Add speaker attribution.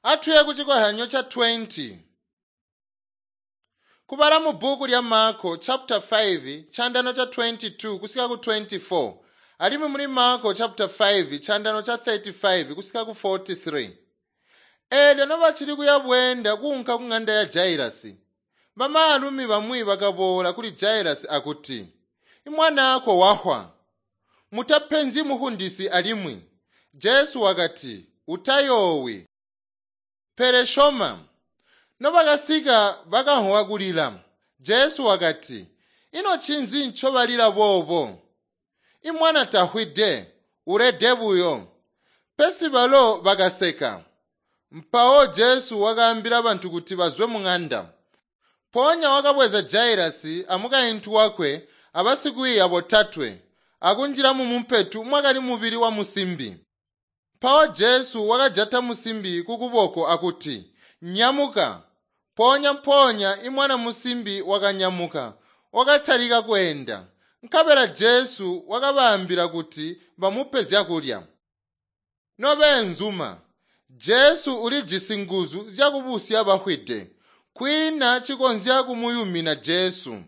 Speaker 1: Atuye kucikozyanyo ca 20. Kubala mu bbuku lya Marko chapter 5 chandano cha 22 kusika ku 24 alimwi muli Marko chapter 5 chandano cha 35 kusika ku 43. Eelyo nobacili kuya bweenda kuunka ku ng'anda ya Jairasi, bamaalumi bamwi bakaboola kuli Jairasi akuti, "Imwanaako wafwa. Mutapenzi mufundisi alimwi." Jesu wakati, "Utayoowi, pele syoma." Nobakasika bakamvwa kulila. Jesu wakati, "Ino ncinzi ncobalila boobo? Imwana tafwide, ulede buyo." Pesi balo bakaseka. Mpawo Jesu wakaambila bantu kuti bazwe mung'anda. Mpoonya wakabweza Jairasi amukaintu wakwe abasikwiiya botatwe akunjila mumumpetu mwakali mubili wa musimbi. Mpawo Jesu wakajata musimbi kukuboko akuti, "Nyamuka!" Mpoonya-mpoonya imwana musimbi wakanyamuka, wakatalika kweenda. Nkabela Jesu wakabaambila kuti bamupe zyakulya. Nobeenzuma, Jesu ulijisi nguzu zyakubusya bafwide. Kwiina cikonzya kumuyumina Jesu.